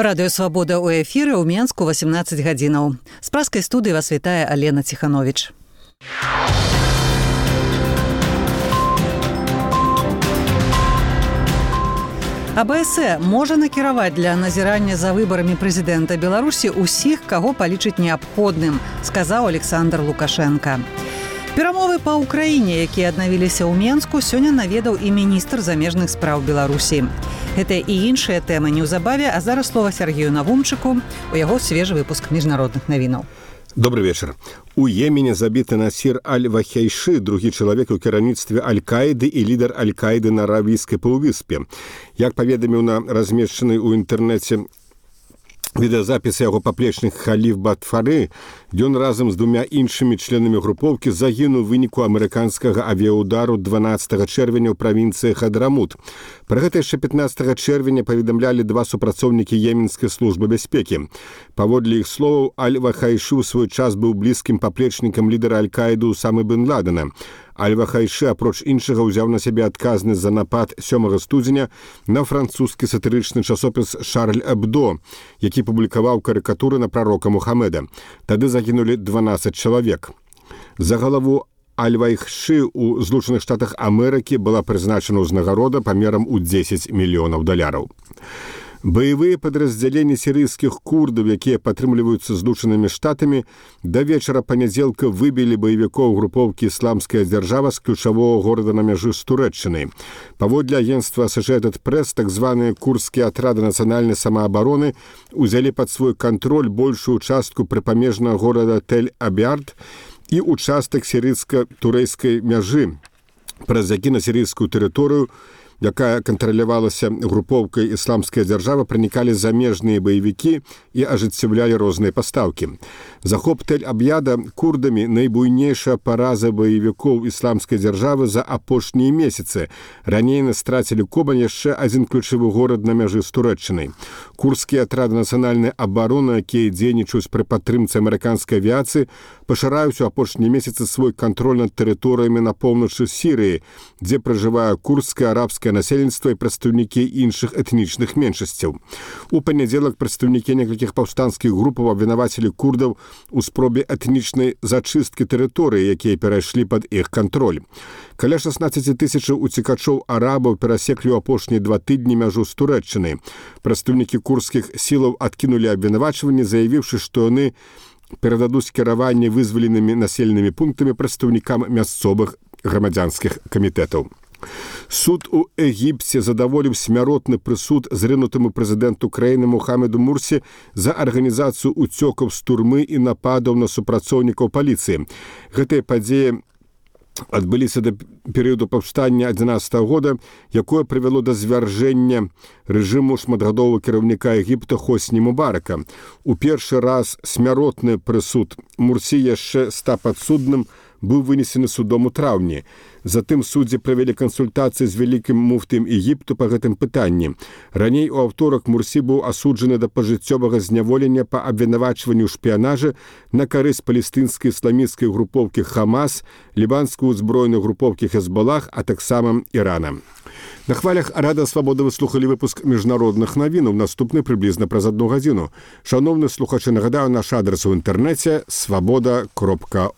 Радыё Свабода ў эфіры ў Менску 18 гадзінаў. З праскай студыі вас вітае Алена Ціхановіч. АБС можа накіраваць для назірання за выбарамі прэзідэнта Беларусі ўсіх, каго палічыць неабходным, сказаў Александр Лукашенко. Перамовы па ўкраіне, якія аднавіліся ў Менску, сёння наведаў і міністр замежных спраў Беларусі. Гэта і іншыя тэмы неўзабаве, а зараз слова Сергею Навумчыку, у яго свежы выпуск міжнародных навінаў. Добрый вечер. У Йемене забіты Насір Аль-Вахейши, другі чалавек у кіраўніцтве Аль-Каіды і лідар Аль-Каіды на Аравійскай паўвыспе. Як паведаміў на размешчанай у інтэрнэце відэазапіс яго паплечнік Халіф Батфары, ён разам з двумя іншымі членамі групоўкі загінуў у выніку амерыканскага авіаудару 12 чэрвеня ў правінцыі Хадрамут. Пра гэта яшчэ 15 чэрвеня паведамлялі два супрацоўнікі Йеменскай службы бяспекі. Паводле іх словаў, Аль-Вахайши ў свой час быў блізкім паплечнікам лідара Аль-Каіды Усамы бен Ладена. Аль-Вахайши, апроч іншага, узяў на сябе адказнасць за напад 7 студзеня на французскі сатырычны часопіс «Шарль Эбдо», які публікаваў карыкатуры на прарока Мухаммеда. Тады загінулі 12 чалавек. За галаву Аль-Вахайши ў Злучаных Штатах Амерыкі была прызначана ўзнагарода памерам у $10 мільёнаў. Баявыя падраздзяленні сірыйскіх курдаў, якія падтрымліваюцца Злучанымі Штатамі, да вечара панядзелка выбілі баевікоў групоўкі «Ісламская дзяржава» з ключавога горада на мяжы з Турэччынай. Паводле агенцтва Associated Press, так званыя курдскія атрады нацыянальнай самаабароны узялі пад свой кантроль большую частку прыпамежнага горада Тель-Абьярд і участак сірыйска-турэйскай мяжы, праз які на сірыйскую тэрыторыю, якая кантралявалася групоўкай «Ісламская дзяржава», пранікалі замежныя баевікі і ажыццяўлялі розныя пастаўкі. Захоп Тель-Абьяда курдамі найбуйнейшая параза баевікоў «Ісламскай дзяржавы» за апошнія месяцы. Раней яны страцілі Кобань, яшчэ адзін ключавы горад на мяжы з Турэччынай. Курдскія атрады нацыянальнай абароны, якія дзейнічаюць пры падтрымцы амерыканскай авіяцыі, пашыраюць у апошнія месяцы свой кантроль над тэрыторыямі на поўначы Сірыі, дзе пражывае курдскае, арабскае насельніцтва і прадстаўнікі іншых этнічных меншасцяў. У панядзелак прадстаўнікі некалькіх паўстанцкіх групаў абвінавацілі курдаў у спробе этнічнай зачысткі тэрыторыі, якія перайшлі пад іх кантроль. Каля 16 тысячаў уцекачоў арабаў перасеклі ў апошнія 2 тыдні мяжу з Турэччынай. Прадстаўнікі курдскіх сілаў адкінулі абвінавачванні, заявіўшы, што яны перададуць кіраванне вызваленымі населенымі пунктамі прадстаўнікам мясцовых грамадзянскіх камітэтаў. Суд у Егіпце задаволіў смяротны прысуд зрынутаму прэзідэнту краіны Мухаммеду Мурсі за арганізацыю уцёкаў з турмы і нападаў на супрацоўнікаў паліцыі. Гэтыя падзеі адбыліся да перыяду паўстання 11 года, якое прывяло да звяржэння рэжыму шматгадовага кіраўніка Егіпта Хосні Мубарака. У першы раз смяротны прысуд Мурсі яшчэ ста падсудным быў вынесены судом у траўні. Затым суддзі правялі кансультацыі з вялікім муфтым Егіпту па гэтым пытанні. Раней у аўторак Мурсі быў асуджаны да пажыццёвага зняволення па абвінавачванню ў шпіянажы на карысць палестынскай ісламісцкай групоўкі Хамас, лібанскай узброенай групоўкі Хезбалах, а таксама Ірана. На хвалях Радыё Свабода вы слухалі выпуск міжнародных навінаў, наступны прыблізна праз 1 гадзіну. Шановны слухачы, нагадаю, наш адрас у інтэрнэце свабода.орг.